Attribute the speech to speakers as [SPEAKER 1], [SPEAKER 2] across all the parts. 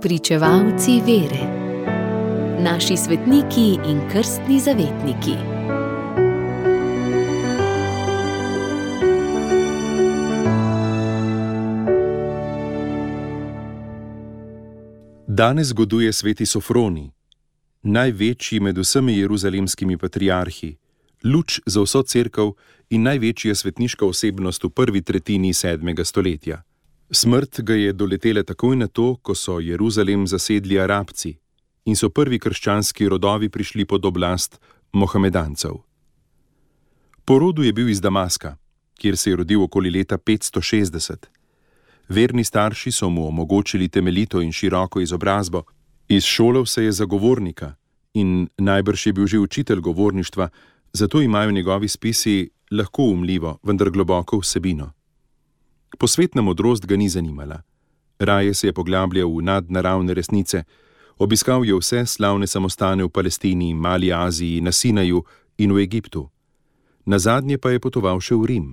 [SPEAKER 1] Pričevalci vere. Naši svetniki in krstni zavetniki.
[SPEAKER 2] Danes zgoduje sveti Sofronij, največji med vsemi jeruzalemskimi patriarhi, luč za vso cerkev in največja svetniška osebnost v prvi tretjini 7. stoletja. Smrt ga je doletela takoj na to, ko so Jeruzalem zasedli Arabci in so prvi krščanski rodovi prišli pod oblast Mohamedancev. Po rodu je bil iz Damaska, kjer se je rodil okoli leta 560. Verni starši so mu omogočili temeljito in široko izobrazbo, izšolal se je za govornika in najbrž je bil že učitelj govorništva, zato imajo njegovi spisi lahko umljivo, vendar globoko vsebino. Posvetna modrost ga ni zanimala. Raje se je poglabljal v nadnaravne resnice, obiskal je vse slavne samostane v Palestini, Mali Aziji, na Sinaju in v Egiptu. Nazadnje pa je potoval še v Rim.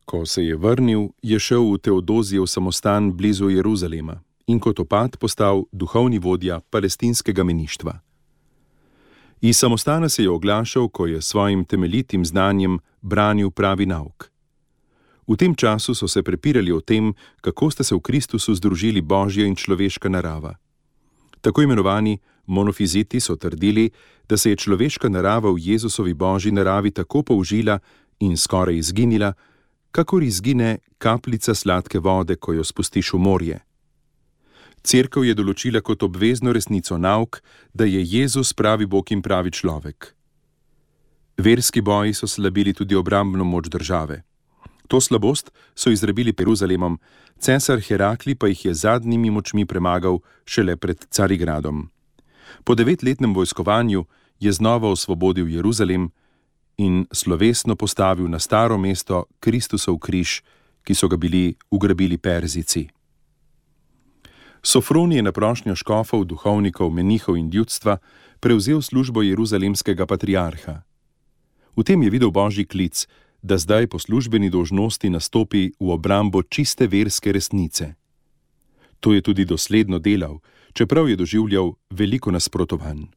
[SPEAKER 2] Ko se je vrnil, je šel v Teodozijev samostan blizu Jeruzalema in kot opat postal duhovni vodja palestinskega meništva. Iz samostana se je oglašal, ko je svojim temeljitim znanjem branil pravi nauk. V tem času so se prepirali o tem, kako sta se v Kristusu združili božja in človeška narava. Tako imenovani monofiziti so trdili, da se je človeška narava v Jezusovi božji naravi tako použila in skoraj izginila, kakor izgine kapljica sladke vode, ko jo spustiš v morje. Cerkev je določila kot obvezno resnico nauk, da je Jezus pravi Bog in pravi človek. Verski boji so slabili tudi obrambno moč države. To slabost so izrabili Jeruzalemom, cesar Herakli pa jih je zadnjimi močmi premagal šele pred Carigradom. Po 9-letnem vojskovanju je znova osvobodil Jeruzalem in slovesno postavil na staro mesto Kristusov križ, ki so ga bili ugrabili Perzijci. Sofronij je na prošnjo škofov, duhovnikov, menihov in ljudstva prevzel službo jeruzalemskega patriarha. V tem je videl božji klic, da zdaj po službeni dolžnosti nastopi v obrambo čiste verske resnice. To je tudi dosledno delal, čeprav je doživljal veliko nasprotovanj.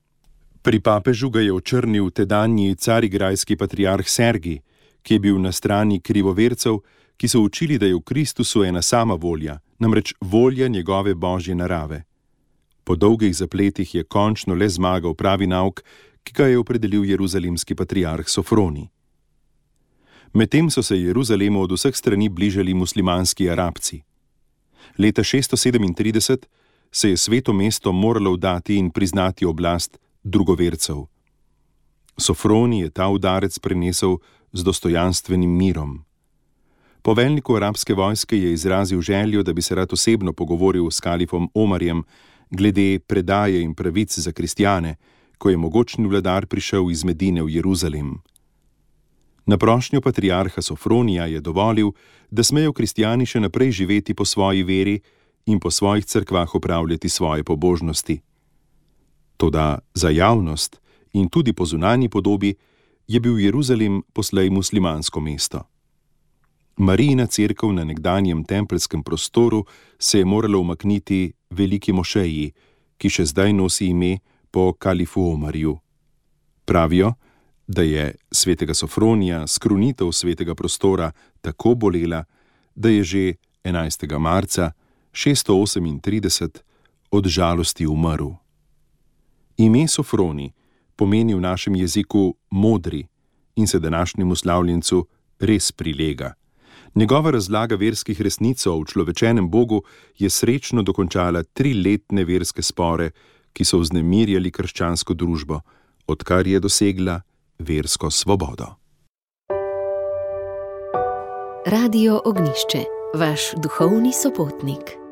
[SPEAKER 2] Pri papežu ga je očrnil tedanji carigrajski patriarh Sergij, ki je bil na strani krivovercev, ki so učili, da je v Kristusu ena sama volja, namreč volja njegove božje narave. Po dolgih zapletih je končno le zmagal pravi nauk, ki ga je opredelil jeruzalemski patriarh Sofronij. Medtem so se Jeruzalemu od vseh strani bližali muslimanski Arabci. Leta 637 se je sveto mesto moralo vdati in priznati oblast drugovercev. Sofronij je ta udarec prenesel z dostojanstvenim mirom. Poveljniku arabske vojske je izrazil željo, da bi se rad osebno pogovoril s kalifom Omarjem glede predaje in pravic za kristjane, ko je mogočni vladar prišel iz Medine v Jeruzalem. Na prošnjo patriarha Sofronija je dovolil, da smejo kristjani še naprej živeti po svoji veri in po svojih cerkvah opravljati svoje pobožnosti. Toda za javnost in tudi po zunanji podobi je bil Jeruzalem poslej muslimansko mesto. Marijina cerkev na nekdanjem tempelskem prostoru se je morala umakniti veliki mošeji, ki še zdaj nosi ime po kalifu Omarju. Pravijo, da je svetega Sofronija skrunitev svetega prostora tako bolela, da je že 11. marca 638 od žalosti umrl. Ime Sofronij pomeni v našem jeziku modri in se današnjemu slavljencu res prilega. Njegova razlaga verskih resnic o človečenem Bogu je srečno dokončala 3-letne verske spore, ki so vznemirjali krščansko družbo, odkar je dosegla versko svobodo.
[SPEAKER 1] Radio Ognjišče, vaš duhovni sopotnik.